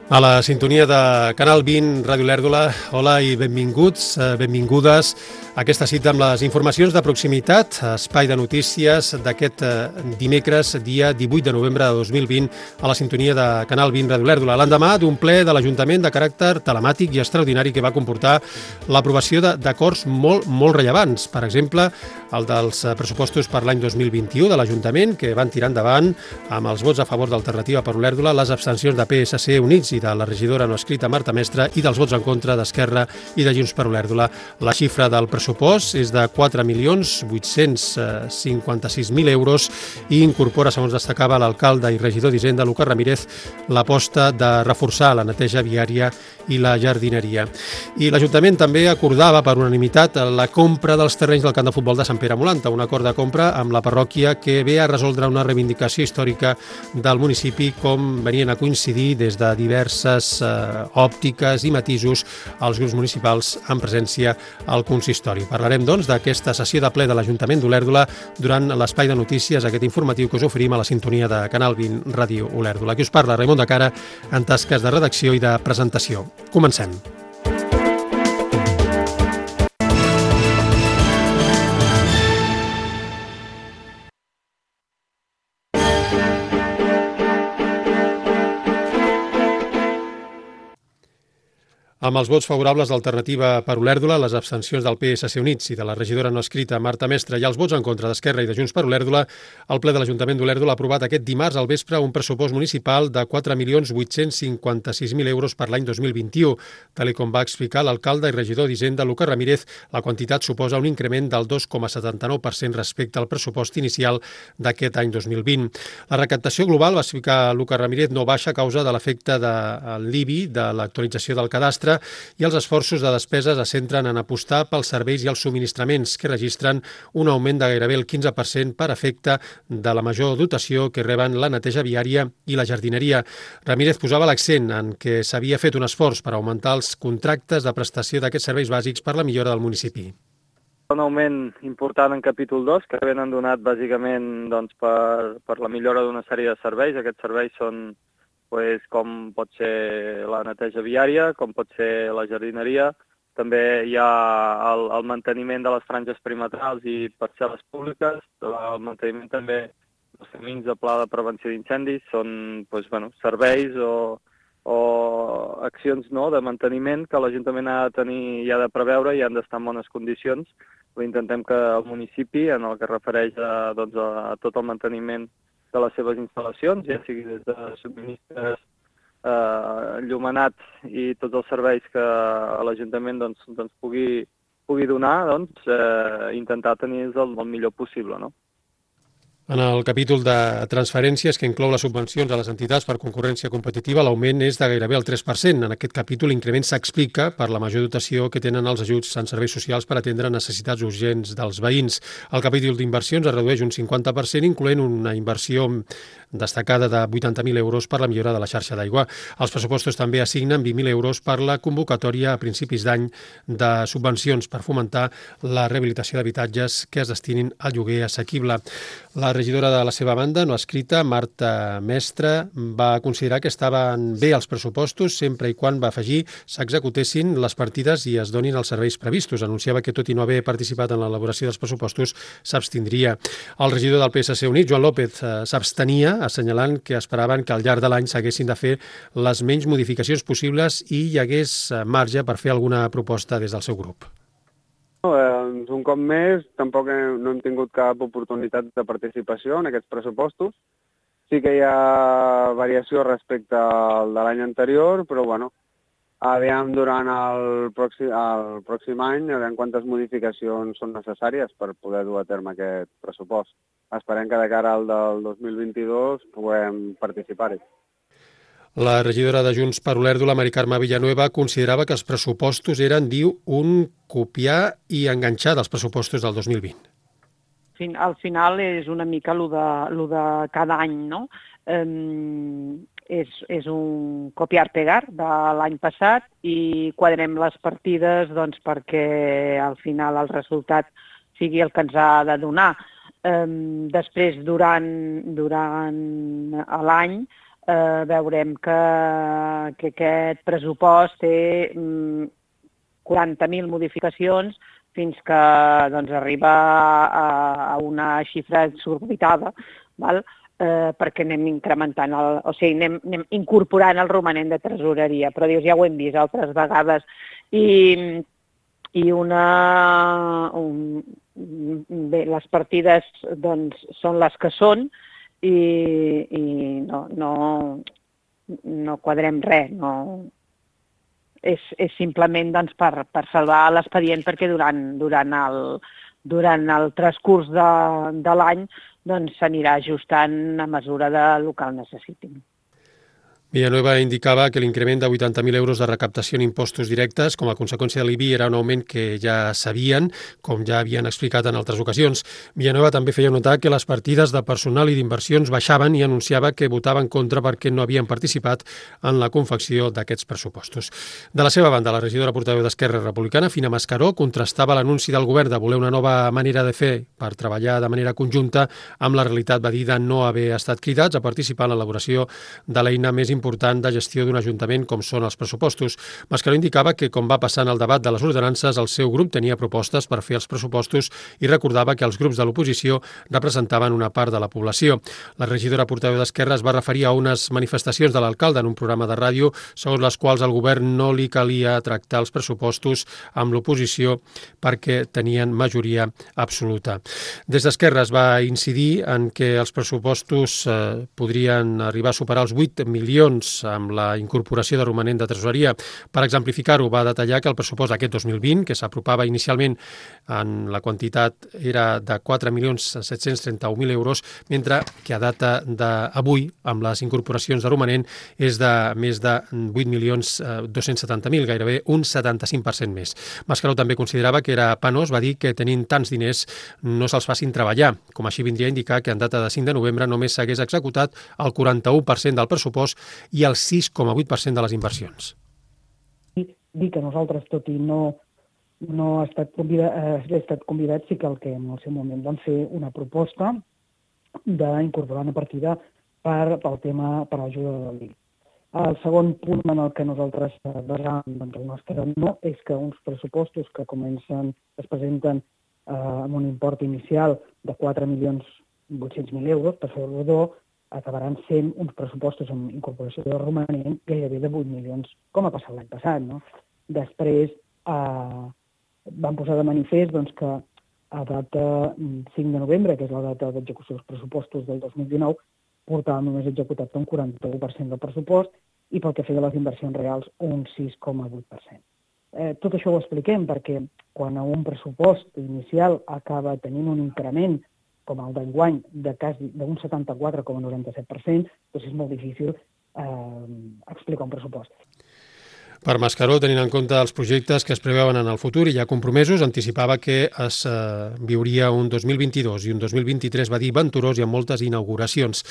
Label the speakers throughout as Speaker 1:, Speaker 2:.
Speaker 1: A la sintonia de Canal 20, Ràdio Lèrdula, hola i benvinguts, benvingudes a aquesta cita amb les informacions de proximitat, espai de notícies d'aquest dimecres, dia 18 de novembre de 2020, a la sintonia de Canal 20, Ràdio Lèrdula, l'endemà d'un ple de l'Ajuntament de caràcter telemàtic i extraordinari que va comportar l'aprovació d'acords molt rellevants. Per exemple, el dels pressupostos per l'any 2021 de l'Ajuntament, que van tirar endavant amb els vots a favor d'Alternativa per Olèrdula, les abstencions de PSC, Units i de la regidora no escrita Marta Mestre i dels vots en contra d'Esquerra i de Junts per Olèrdula. La xifra del pressupost és de 4.856.000 euros i incorpora, segons destacava l'alcalde i regidor d'Hisenda, Lucas Ramírez, l'aposta de reforçar la neteja viària i la jardineria. I l'Ajuntament també acordava per unanimitat la compra dels terrenys del camp de futbol de Sant Pere Molanta, un acord de compra amb la parròquia que ve a resoldre una reivindicació històrica del municipi, com venien a coincidir des de diverses òptiques i matisos als grups municipals en presència al consistori. Parlarem, doncs, d'aquesta sessió de ple de l'Ajuntament d'Olèrdula durant l'espai de notícies, aquest informatiu que us oferim a la sintonia de Canal 20 Ràdio Olèrdula. Aquí us parla Raimon de Cara en tasques de redacció i de presentació. Comencem. Amb els vots favorables d'Alternativa per Olèrdula, les abstencions del PSC Units i de la regidora no escrita Marta Mestre i els vots en contra d'Esquerra i de Junts per Olèrdula, el ple de l'Ajuntament d'Olèrdula ha aprovat aquest dimarts al vespre un pressupost municipal de 4.856.000 euros per l'any 2021. Tal com va explicar l'alcalde i regidor d'Hisenda, Lucas Ramírez, la quantitat suposa un increment del 2,79% respecte al pressupost inicial d'aquest any 2020. La recaptació global, va explicar Lucas Ramírez, no baixa a causa de l'efecte de l'IBI, de l'actualització del cadastre, i els esforços de despeses es centren en apostar pels serveis i els subministraments, que registren un augment de gairebé el 15% per efecte de la major dotació que reben la neteja viària i la jardineria. Ramírez posava l'accent en que s'havia fet un esforç per augmentar els contractes de prestació d'aquests serveis bàsics per la millora del municipi.
Speaker 2: Un augment important en capítol 2, que ben han donat bàsicament per la millora d'una sèrie de serveis. Aquests serveis són com pot ser la neteja viària, com pot ser la jardineria. També hi ha el manteniment de les franges perimetrals i parcel·les públiques, el manteniment també dels camins de pla de prevenció d'incendis. Són serveis o accions de manteniment que l'Ajuntament ha de tenir i ha de preveure i han d'estar en bones condicions. Intentem que el municipi, en el que refereix a tot el manteniment de les seves instal·lacions, ja sigui des de subministres, enllumenats i tots els serveis que l'Ajuntament pugui donar, intentar tenir-los el millor possible, no?
Speaker 1: En el capítol de transferències, que inclou les subvencions a les entitats per concurrència competitiva, l'augment és de gairebé el 3%. En aquest capítol l'increment s'explica per la major dotació que tenen els ajuts en serveis socials per atendre necessitats urgents dels veïns. El capítol d'inversions es redueix un 50%, incloent una inversió destacada de 80.000 euros per la millora de la xarxa d'aigua. Els pressupostos també assignen 20.000 euros per la convocatòria a principis d'any de subvencions per fomentar la rehabilitació d'habitatges que es destinin al lloguer assequible. La regidora de la seva banda, no escrita, Marta Mestre, va considerar que estaven bé els pressupostos sempre i quan, va afegir, s'executessin les partides i es donin els serveis previstos. Anunciava que, tot i no haver participat en l'elaboració dels pressupostos, s'abstindria. El regidor del PSC Unit, Joan López, s'abstenia, assenyalant que esperaven que al llarg de l'any s'haguessin de fer les menys modificacions possibles i hi hagués marge per fer alguna proposta des del seu grup.
Speaker 3: Un cop més, tampoc no hem tingut cap oportunitat de participació en aquests pressupostos. Sí que hi ha variació respecte al de l'any anterior, però aviam durant el pròxim any, aviam quantes modificacions són necessàries per poder dur a terme aquest pressupost. Esperem que de cara al del 2022 puguem participar-hi.
Speaker 1: La regidora de Junts per Olèrdula, Mari Carme Villanueva, considerava que els pressupostos eren, diu, un copiar i enganxar dels pressupostos del 2020.
Speaker 4: Al final és una mica lo de cada any, no? És un copiar-pegar de l'any passat i quadrem les partides perquè al final el resultat sigui el que ens ha de donar. Després, durant l'any, veurem que aquest pressupost té 40.000 modificacions fins que arriba a una xifra exorbitada, val? Perquè anem incrementant, anem incorporant el romanent de tresoreria, però dius, ja ho hem vist altres vegades, i les partides són les que són i no quadrem res, és simplement per salvar l'expedient, perquè durant el transcurs de l'any s'anirà ajustant a mesura del que el necessitin.
Speaker 1: Villanueva indicava que l'increment de 80.000 euros de recaptació en impostos directes com a conseqüència de l'IBI era un augment que ja sabien, com ja havien explicat en altres ocasions. Villanueva també feia notar que les partides de personal i d'inversions baixaven i anunciava que votava en contra perquè no havien participat en la confecció d'aquests pressupostos. De la seva banda, la regidora portaveu d'Esquerra Republicana, Fina Mascaró, contrastava l'anunci del govern de voler una nova manera de fer per treballar de manera conjunta amb la realitat, va dir, de no haver estat cridats a participar en l'elaboració de l'eina més important de gestió d'un ajuntament com són els pressupostos. Mascaró indicava que, com va passar en el debat de les ordenances, el seu grup tenia propostes per fer els pressupostos i recordava que els grups de l'oposició representaven una part de la població. La regidora portaveu d'Esquerra es va referir a unes manifestacions de l'alcalde en un programa de ràdio segons les quals al govern no li calia tractar els pressupostos amb l'oposició perquè tenien majoria absoluta. Des d'Esquerra es va incidir en que els pressupostos podrien arribar a superar els 8 milions amb la incorporació de romanent de tresoreria. Per exemplificar-ho, va detallar que el pressupost d'aquest 2020, que s'apropava inicialment en la quantitat era de 4.731.000 euros, mentre que a data d'avui, amb les incorporacions de romanent, és de més de 8.270.000, gairebé un 75% més. Mascaró també considerava que era penós, va dir que tenint tants diners no se'ls facin treballar, com així vindria a indicar que en data de 5 de novembre només s'hagués executat el 41% del pressupost i el 6,8% de les inversions.
Speaker 5: Dir que nosaltres, tot i no haver estat convidats, sí que el que en el seu moment vam fer una proposta d'incorporar una partida per l'ajuda del LIC. El segon punt en el que nosaltres basàvem el nostre no és que uns pressupostos que es presenten amb un import inicial de 4.800.000 euros, per fer-ho rodó, acabaran sent uns pressupostos amb incorporació de romanent gairebé de 8 milions, com ha passat l'any passat. Després van posar de manifest que a data 5 de novembre, que és la data d'execució dels pressupostos del 2019, portàvem només executat un 41% del pressupost i pel que feia les inversions reals un 6,8%. Tot això ho expliquem perquè quan un pressupost inicial acaba tenint un increment com el d'enguany d'un 74,97%, doncs és molt difícil explicar un pressupost.
Speaker 1: Per Mascaró, tenint en compte els projectes que es preveuen en el futur i ja compromesos, anticipava que es viuria un 2022 i un 2023, va dir, venturós i amb moltes inauguracions.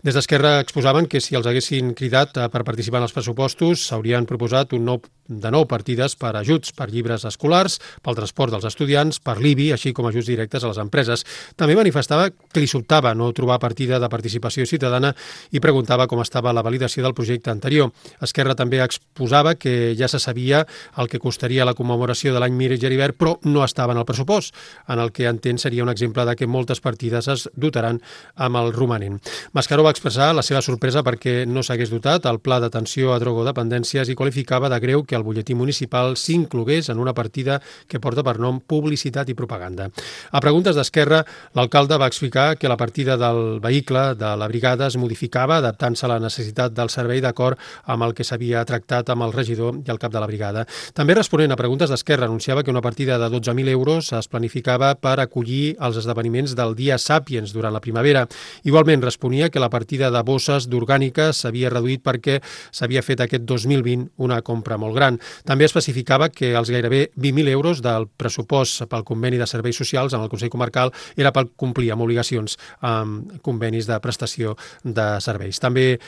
Speaker 1: Des d'Esquerra exposaven que si els haguessin cridat per participar en els pressupostos s'haurien proposat de nou partides per ajuts per llibres escolars, pel transport dels estudiants, per l'IBI, així com ajuts directes a les empreses. També manifestava que li sobtava no trobar partida de participació ciutadana i preguntava com estava la validació del projecte anterior. Esquerra també exposava que ja se sabia el que costaria la commemoració de l'any Mir Geribert, però no estava en el pressupost, en el que entén seria un exemple de que moltes partides es dotaran amb el romanent. Mascaró va expressar la seva sorpresa perquè no s'hagués dotat el pla d'atenció a drogodependències i qualificava de greu que el butlletí municipal s'inclogués en una partida que porta per nom Publicitat i Propaganda. A preguntes d'Esquerra, l'alcalde va explicar que la partida del vehicle de la brigada es modificava adaptant-se a la necessitat del servei d'acord amb el que s'havia tractat amb el regidor i el cap de la brigada. També responent a preguntes d'Esquerra, anunciava que una partida de 12.000 euros es planificava per acollir els esdeveniments del Dia Sàpiens durant la primavera. Igualment responia que la partida de bosses d'orgàniques s'havia reduït perquè s'havia fet aquest 2020 una compra molt gran. També especificava que els gairebé 20.000 euros del pressupost pel conveni de serveis socials en el Consell Comarcal era per complir amb obligacions amb convenis de prestació de serveis. També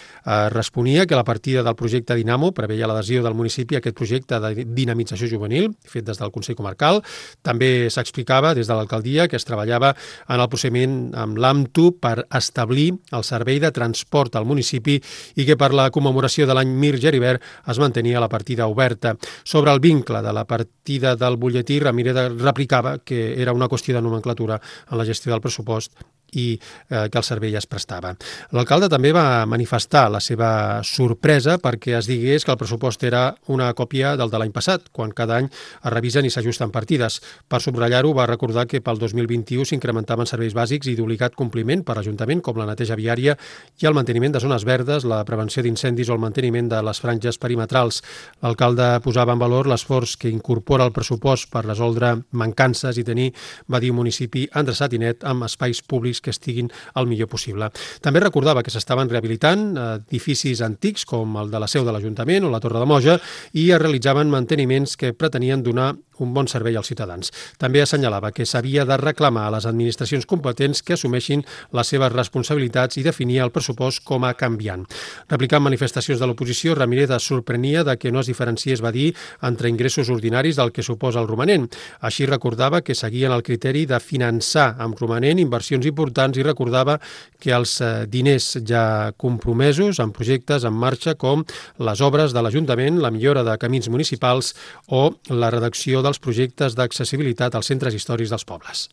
Speaker 1: responia que la partida del projecte Dinamo preveia l'adhesió del municipi a aquest projecte de dinamització juvenil fet des del Consell Comarcal. També s'explicava des de l'alcaldia que es treballava en el procediment amb l'AMTU per establir el servei servei de transport al municipi i que per la commemoració de l'any Mir Geribert es mantenia la partida oberta. Sobre el vincle de la partida del butlletí, Ramírez replicava que era una qüestió de nomenclatura en la gestió del pressupost i que el servei es prestava. L'alcalde també va manifestar la seva sorpresa perquè es digués que el pressupost era una còpia del de l'any passat, quan cada any es revisen i s'ajusten partides. Per subratllar-ho, va recordar que pel 2021 s'incrementaven serveis bàsics i d'obligat compliment per l'Ajuntament, com la neteja viària i el manteniment de zones verdes, la prevenció d'incendis o el manteniment de les franges perimetrals. L'alcalde posava en valor l'esforç que incorpora el pressupost per resoldre mancances i tenir, va dir, un municipi endreçat i net amb espais públics que estiguin el millor possible. També recordava que s'estaven rehabilitant edificis antics com el de la seu de l'Ajuntament o la Torre de Moja i es realitzaven manteniments que pretenien donar un bon servei als ciutadans. També assenyalava que s'havia de reclamar a les administracions competents que assumeixin les seves responsabilitats i definia el pressupost com a canviant. Replicant manifestacions de l'oposició, Ramírez es sorprenia de que no es diferenciés, va dir, entre ingressos ordinaris del que suposa el romanent. Així recordava que seguien el criteri de finançar amb romanent inversions importants i recordava que els diners ja compromesos en projectes en marxa com les obres de l'Ajuntament, la millora de camins municipals o la redacció dels projectes d'accessibilitat als centres històrics dels pobles.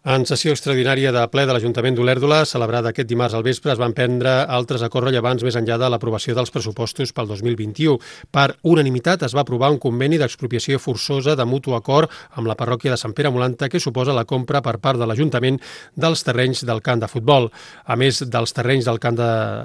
Speaker 1: En sessió extraordinària de ple de l'Ajuntament d'Olèrdola, celebrada aquest dimarts al vespre, es van prendre altres acords rellevants més enllà de l'aprovació dels pressupostos pel 2021. Per unanimitat es va aprovar un conveni d'expropiació forçosa de mutu acord amb la parròquia de Sant Pere Molanta que suposa la compra per part de l'Ajuntament dels terrenys del camp de futbol. A més dels terrenys del camp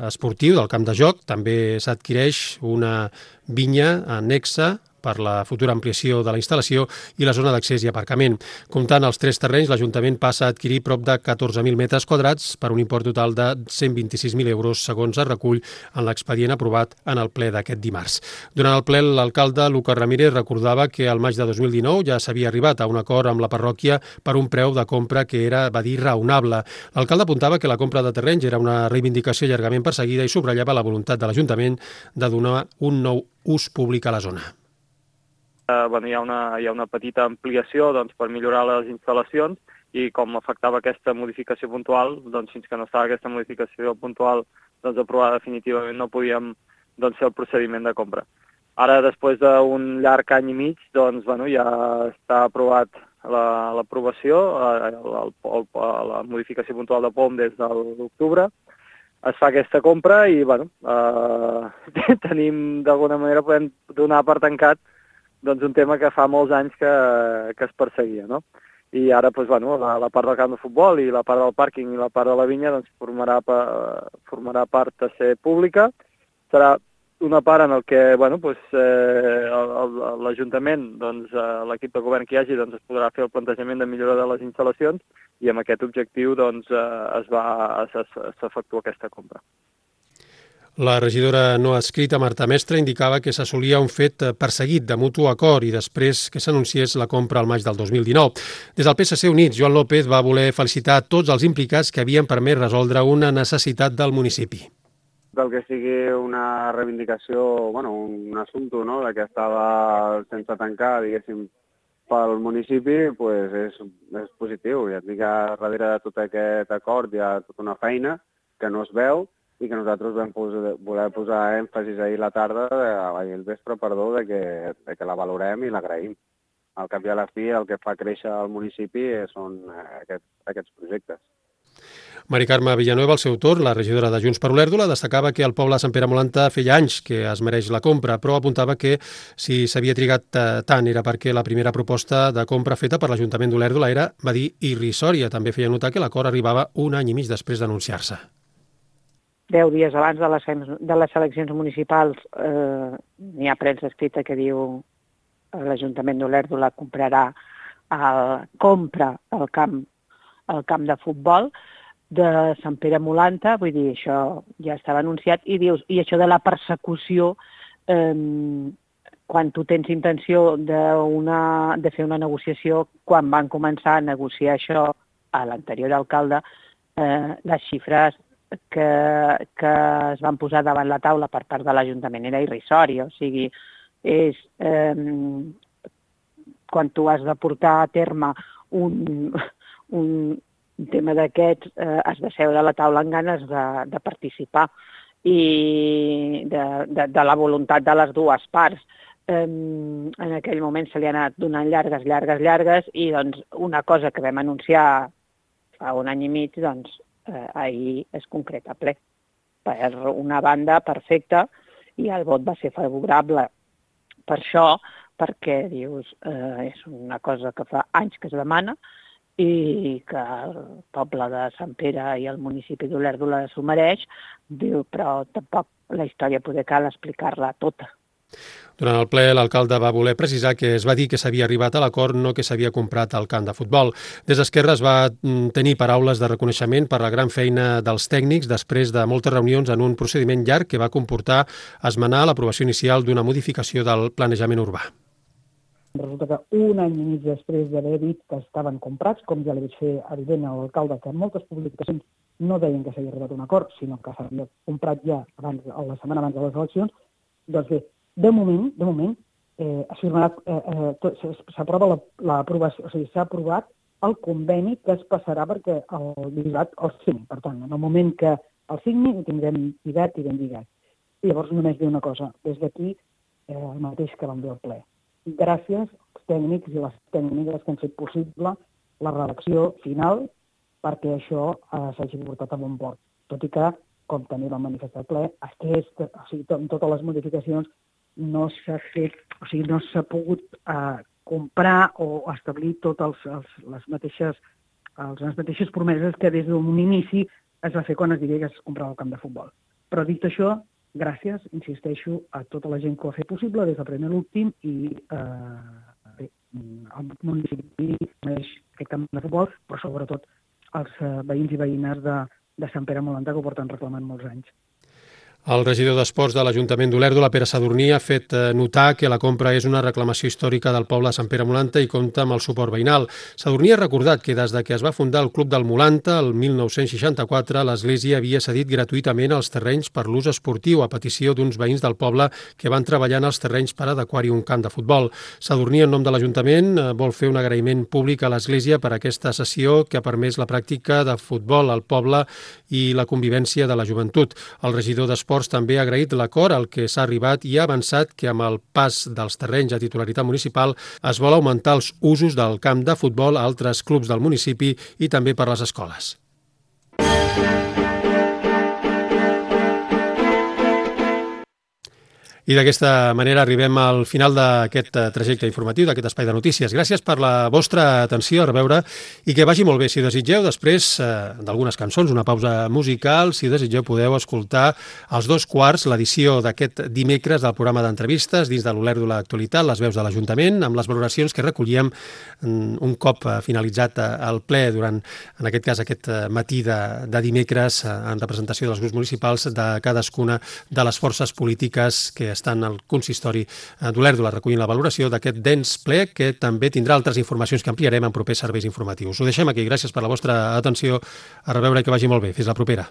Speaker 1: esportiu, del camp de joc, també s'adquireix una vinya annexa per la futura ampliació de la instal·lació i la zona d'accés i aparcament. Comptant els 3 terrenys, l'Ajuntament passa a adquirir prop de 14.000 metres quadrats per un import total de 126.000 euros, segons es recull en l'expedient aprovat en el ple d'aquest dimarts. Durant el ple, l'alcalde Lucas Ramírez recordava que al maig de 2019 ja s'havia arribat a un acord amb la parròquia per un preu de compra que era, va dir, raonable. L'alcalde apuntava que la compra de terrenys era una reivindicació llargament perseguida i subratllava la voluntat de l'Ajuntament de donar un nou ús públic a la zona.
Speaker 2: Hi ha una petita ampliació per millorar les instal·lacions i com afectava aquesta modificació puntual, fins que no estava aquesta modificació puntual aprovada definitivament no podíem fer el procediment de compra. Ara, després d'un llarg any i mig, ja està aprovat l'aprovació, la modificació puntual de POM des de l'octubre. Es fa aquesta compra i tenim, d'alguna manera, podem donar per tancat un tema que fa molts anys que es perseguia, no? I ara, la part del camp de futbol i la part del pàrquing i la part de la vinya formarà part de ser pública. Serà una part en el que l'Ajuntament, l'equip de govern que hi hagi, es podrà fer el plantejament de millora de les instal·lacions i amb aquest objectiu s'efectua aquesta compra.
Speaker 1: La regidora no adscrita Marta Mestre indicava que s'assolia un fet perseguit de mutu acord i després que s'anunciés la compra al maig del 2019. Des del PSC Units, Joan López va voler felicitar tots els implicats que havien permès resoldre una necessitat del municipi.
Speaker 3: El que sigui una reivindicació, un assumpte que estava sense tancar, diguéssim, pel municipi, és positiu. Ja et dic que darrere de tot aquest acord hi ha tota una feina que no es veu i que nosaltres vam voler posar èmfasis ahir a la tarda, ahir al vespre, de que la valorem i l'agraïm. Al cap i a la fi, el que fa créixer el municipi són aquests projectes.
Speaker 1: Mari Carme Villanueva, al seu torn, la regidora de Junts per Olèrdola, destacava que el poble de Sant Pere Molanta feia anys que es mereix la compra, però apuntava que si s'havia trigat tant era perquè la primera proposta de compra feta per l'Ajuntament d'Olèrdola era, va dir, irrisòria. També feia notar que l'acord arribava un any i mig després d'anunciar-se.
Speaker 4: 10 dies abans de les eleccions municipals n'hi ha premsa escrita que diu l'Ajuntament d'Olèrdola compra el camp de futbol de Sant Pere Molanta, vull dir, això ja estava anunciat, i dius, i això de la persecució, quan tu tens intenció de fer una negociació, quan van començar a negociar això a l'anterior alcalde, les xifres que es van posar davant la taula per part de l'Ajuntament era irrisòria, o sigui, quan tu has de portar a terme un tema d'aquests, has de seure a la taula amb ganes de participar i de la voluntat de les dues parts. En aquell moment se li ha anat donant llargues i doncs una cosa que vam anunciar fa un any i mig, doncs ahir es concreta ple. Per una banda, perfecta, i el vot va ser favorable per això, perquè dius, és una cosa que fa anys que es demana i que el poble de Sant Pere i el municipi d'Olèrdola s'ho mereix, diu, però tampoc la història poder cal explicar-la tota.
Speaker 1: Durant el ple, l'alcalde va voler precisar que es va dir que s'havia arribat a l'acord, no que s'havia comprat el camp de futbol. Des d'Esquerra es va tenir paraules de reconeixement per la gran feina dels tècnics després de moltes reunions en un procediment llarg que va comportar esmenar l'aprovació inicial d'una modificació del planejament urbà.
Speaker 5: Resulta que un any i mig després d'haver dit que estaven comprats, com ja li vaig fer evident a l'alcalde, que en moltes publicacions no deien que s'havia arribat a un acord, sinó que s'havia comprat ja la setmana abans de les eleccions, doncs bé, de moment s'aprova l'aprovació, o sigui, s'ha aprovat el conveni que es passarà perquè el lligat el signi. Per tant, en el moment que el signi ho tindrem lligat i ben lligat. I llavors només dir una cosa, des d'aquí el mateix que vam dir al ple. Gràcies als tècnics i les tècniques que han fet possible la redacció final perquè això s'hagi portat a bon port. Tot i que, com també vam manifestar al ple, amb totes les modificacions no s'ha fet, o sigui, no s'ha pogut comprar o establir totes les mateixes promeses que des d'un inici es va fer quan es diria que es comprava el camp de futbol. Però dit això, gràcies, insisteixo, a tota la gent que ho ha fet possible, des del primer a l'últim, i el municipi mereix aquest camp de futbol, però sobretot els veïns i veïnes de Sant Pere Molanta, que ho porten reclamant molts anys.
Speaker 1: El regidor d'Esports de l'Ajuntament d'Olèrdola, Pere Sadurní, ha fet notar que la compra és una reclamació històrica del poble de Sant Pere Molanta i compta amb el suport veïnal. Sadurní ha recordat que des que es va fundar el Club del Molanta, el 1964, l'Església havia cedit gratuïtament els terrenys per l'ús esportiu a petició d'uns veïns del poble que van treballar en els terrenys per adequar-hi un camp de futbol. Sadurní, en nom de l'Ajuntament, vol fer un agraïment públic a l'Església per aquesta cessió que ha permès la pràctica de futbol al poble i la convivència de la joventut. El regidor d'Esports també ha agraït l'acord al que s'ha arribat i ha avançat que amb el pas dels terrenys a titularitat municipal es vol augmentar els usos del camp de futbol a altres clubs del municipi i també per les escoles. I d'aquesta manera arribem al final d'aquest trajecte informatiu, d'aquest espai de notícies. Gràcies per la vostra atenció, a reveure, i que vagi molt bé. Si ho desitgeu, després d'algunes cançons, una pausa musical, si ho desitgeu podeu escoltar als 2:15 l'edició d'aquest dimecres del programa d'entrevistes dins de l'Olèrdola Actualitat, les veus de l'Ajuntament, amb les valoracions que recollíem un cop finalitzat el ple durant, en aquest cas, aquest matí de dimecres en representació dels grups municipals de cadascuna de les forces polítiques que estan al consistori d'Olèrdola recollint la valoració d'aquest dens ple que també tindrà altres informacions que ampliarem en propers serveis informatius. Ho deixem aquí. Gràcies per la vostra atenció. A reveure i que vagi molt bé. Fins la propera.